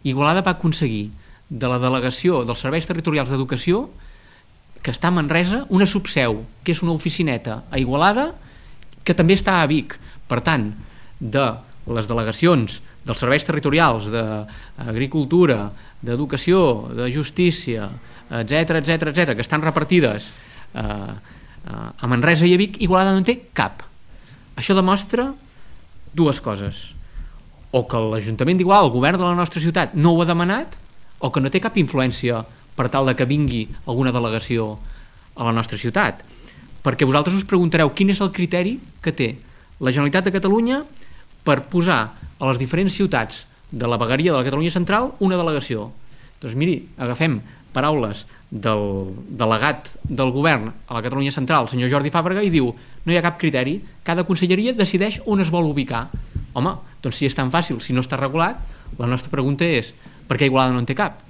Igualada va aconseguir de la delegació dels serveis territorials d'educació, que està a Manresa, una subseu, que és una oficineta a Igualada, que també està a Vic. Per tant, de les delegacions dels serveis territorials d'agricultura, d'educació, de justícia, etc, que estan repartides a Manresa i a Vic, Igualada no en té cap. Això demostra dues coses: o que l'Ajuntament d'Igualada, el govern de la nostra ciutat, no ho ha demanat, o que no té cap influència per tal de que vingui alguna delegació a la nostra ciutat. Perquè vosaltres us preguntareu quin és el criteri que té la Generalitat de Catalunya per posar a les diferents ciutats de la vegueria de la Catalunya Central una delegació. Doncs miri, agafem paraules del delegat del govern a la Catalunya Central, el senyor Jordi Fàbrega, i diu: no hi ha cap criteri, cada conselleria decideix on es vol ubicar. Home, doncs si és tan fàcil, si no està regulat, la nostra pregunta és: per què Igualada no en té cap?